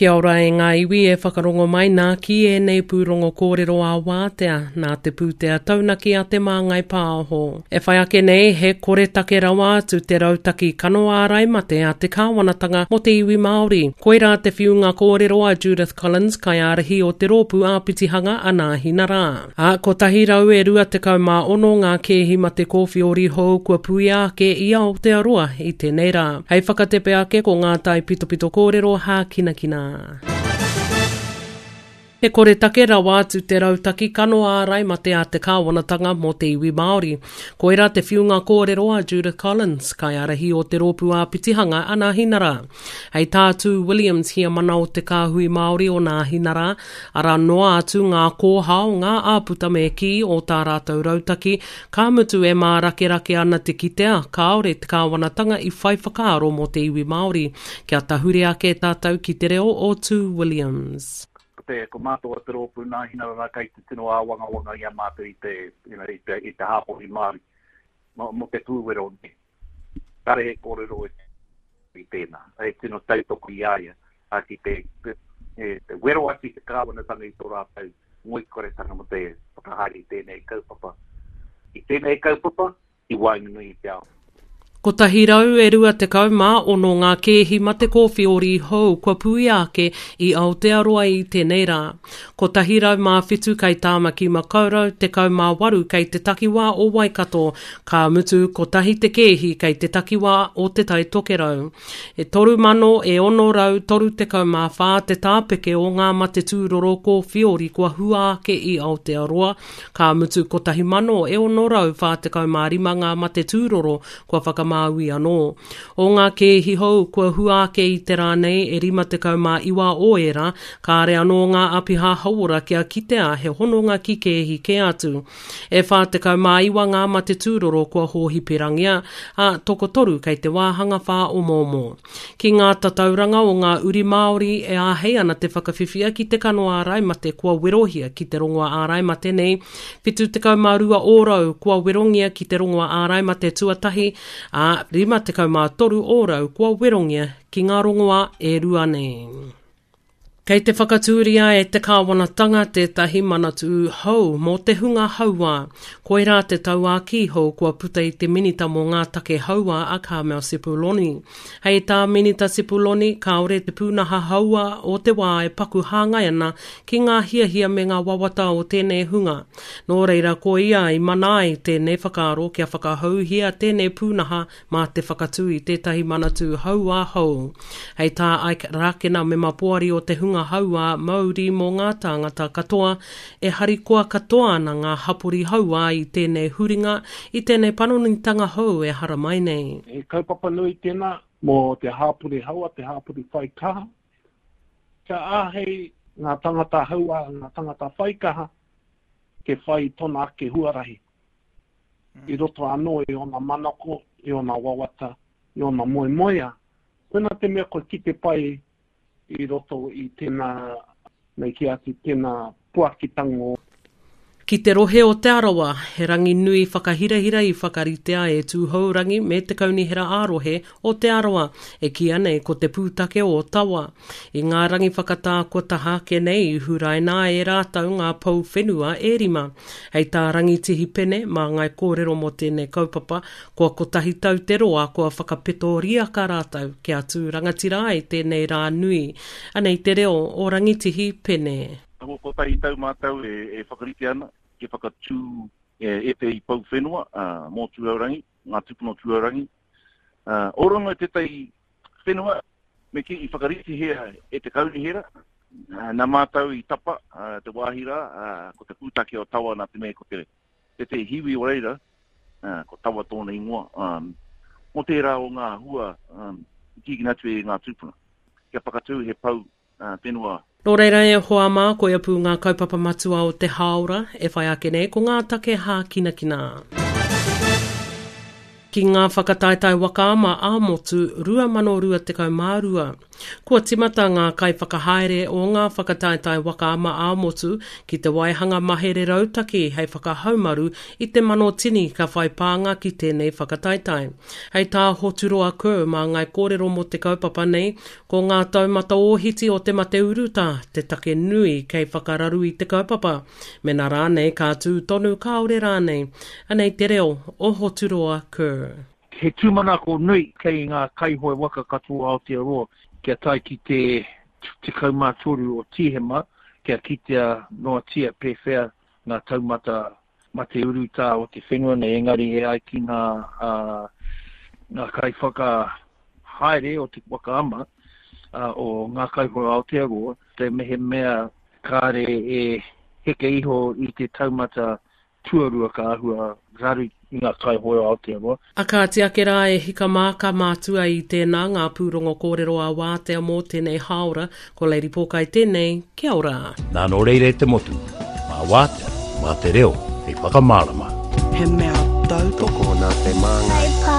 Kia ora e ngā iwi e whakarongo mai nā ki ēnei pūrongo kōrero ā-wātea nā te pūtea taunaki a Te Māngai Pāho. E whai ake nei, he koretake rawa atu te rautaki kano ārai mate a te kāwanatanga mō te iwi Māori. Koirā te whiunga kōrero a Judith Collins, kaiārahi o te rōpū āpitihanga a Nāhinarā. Ā, 126 ngā kēhi mate kōwhiori hou kua puia ake i Aotearoa i tēnei rā. Hei whakatepe ake ko ngā taipitopito kōrero hākinakina. He koretake rawa atu te rautaki kano ārai mate a te kāwanatanga mō te iwi Māori. Koirā te whiunga kōrero a Judith Collins, kaiārahi o te rōpū āpitihanga a Nāhinara. Hei tā Tū Williams, heamana o te Kāhui Māori o Nāhinara, Arā noa atu ngā kōhao, ngā āputa me kī o tā rātou rautaki, ka mutu e mārakerake ana te kitea kāore te kāwanatanga i whai whakaaro mō te iwi Māori. Kia tahuri ake tātou ki te reo o Tū Williams. Ko te, ko mātou o te rōpū Nāhinara kei te tino āwangawanga i a mātou i te, you know, i te, i te hāpori Māori mō, mō te pūwero nei. Kāre he kōrero i, i tēnā. He tino tautoko i a ia a, ki te, te, te wero atu i te kāwanatanga i tō rātou ngoikoretanga mō te whakahaere i tēnei kaupapa. I tēnei kaupapa, i waenganui i te ao. 126 ngā kēhi mate kōwhiori hou kua puia ake i Aotearoa i tēnei rā. 107 kei Tāmaki Makaurau, 18 kei te takiwā o Waikato, ka mutu kotahi te kēhi kei te takiwā o Te Tai Tokerau. E 3,000 e 634 te tāpeke o ngā mate tūroro kōwhiori kua hua ake i Aotearoa, ka mutu 1,000 e 645 ngā mate tūroro kua whakamāui anō. O ngā kēhi hou kua hua ake i te rā nei, e 59 o ērā, kāre anō ngā āpiha hauora kia kitea he hononga ki kēhi kē atu. E 49 ngā mate tūroro kua hōhiperangia, ā, tokotoru kei te wāhanga whāomoomo. Ki ngā tatauranga o ngā uri Māori e āhei ana te whakawhiwhia ki te kano ārai mate kua werohia ki te rongoa ārai mate nei, 72 ōrau kua werongia ki te rongoa ārai mate tuatahi, ā, 53 ōrau kua werongia ki ngā rongoā e rua nei. Kei te whakatūria e te kāwanatanga tētahi manatū hou mō te hunga hauā. Koirā te tauākī hou kua puta i te Minita mō ngā Take Hauā a Carmel Sepuloni. Hei tā Minita Sepuloni, kāore te pūnaha hauā o te wā e paku hāngai ana ki ngā hiahia me ngā wawata o tēnei hunga. Nō reira ko ia i mana ai tēnei whakaaro kia whakahouhia tēnei pūnaha mā te whakatū i tētahi manatū hauā hou. Hei tā Ike Rākena, mema poari o te hunga hauā Māori mō ngā tāngata katoa, e harikoa katoa ana ngā hapori hauā i tēnei huringa, i tēnei panonitanga hou e haramai nei. He kaupapa nui tēnā mō te hāpori hauā, te hāpori whai kaha. Kia āhei ngā tangata hauā, ngā tangata whai kaha, te whai i tōna ake huarahi. i roto anō i ōna manako, i ōna wawata, i ōna moemoeā. Koinā te mea kua kite pai i roto i tēnā, me kī atu, tēnā puakitanga o. Ki te rohe o Te Arawa, he rangi nui whakahirahira i whakaritea e Tūhourangi me te Kaunihera ā-Rohe o Te Arawa, e kīia nei ko te pūtake o Tawa. I ngā rangi whakatā kua taha ake nei i huraina ai e rātou ngā pou whenua e rima. Hei tā Rangitihi Pene, māngai kōrero mō tēnei kaupapa, kua kotahi tau te roa kua whakapeto riaka rātou kia tū rangatira ai tēnei rā nui. Anei te reo o Rangitihi Pene. Kua kotahi tau mātou e whakarite ana kia whakatū ētehi pou whenua mō Tūhourangi, ngā tūpuna o Tūhourangi. Ōrongo tētahi whenua Me kī, i whakaritihia e te kaunihera, nā mātou i tapa te wāhi rā, ko te pūtake o Tawa nā te mea ko te tētehi hiwi o reira, ko Tawa tōna ingoa, mō tērā o ngā hua i tīkina atu e ngā tūpuna, kia whakatū he pou whenua. Nō reira e hoa mā, koia pū ngā kaupapa matua o te hāora e whai ake nei ko ngā take hākinakina. Ki ngā whakataetae waka ama ā-motu 2022. Kua timata ngā kaiwhakahaere o ngā whakataetae waka ama ā-motu ki te waihanga mahere rautaki hei whakahaumaru i te manotini ka whai pānga ki tēnei whakataetae. Hei tā Hoturoa Kerr māngai kōrero mō te kaupapa nei, ko ngā taumata ōhiti o te mate urutā te take nui kei whakararu i te kaupapa. Mena rānei ka tū tonu kāore rānei. Anei te reo o Hoturoa Kerr. He tūmanako nui kei ngā kaihoe waka katoa o Aotearoa kia tae ki te 13 o Tīhema kia kitea noatia pēwhea ngā taumata mate urutā o te whenua nei, engari e ai ki ngā ngā kaiwhakahaere o te waka ama o Ngā Kaihoe Aotearoa, te mehemea kāre e heke iho i te taumata tuarua ka āhua raru i ngā kaihoe o Aotearoa. A kāti ake rā e hika mā ka mātua i tēnā ngā pūrongo kōrero a Wātea mō tēnei hāora, ko Lady Pōkai tēnei, kia ora. Nā nō reira e te motu, mā Wātea, mā te reo hei whakamārama. He mea tautoko. Tokona te māngai.